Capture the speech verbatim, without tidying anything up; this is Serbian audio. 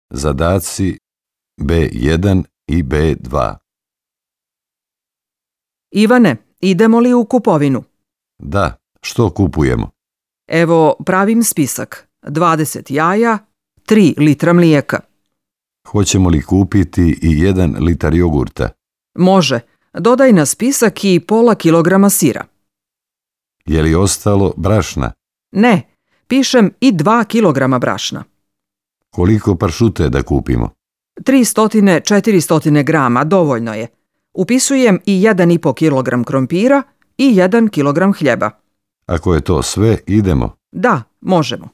Zadaci be jedan i be dva. Ivane, idemo li u kupovinu? Da, što kupujemo? Evo, pravim spisak. dvadeset jaja, tri litra mlijeka. Hoćemo li kupiti i jedan litar jogurta? Može. Dodaj na spisak i pola kilograma sira. Je li ostalo brašna? Ne, pišem i dva kilograma brašna. Koliko pršute da kupimo? tristo do četiristo grama, dovoljno je. Upisujem i jedan i po kilogram krompira i jedan kilogram hljeba. Ako je to sve, idemo. Da, možemo.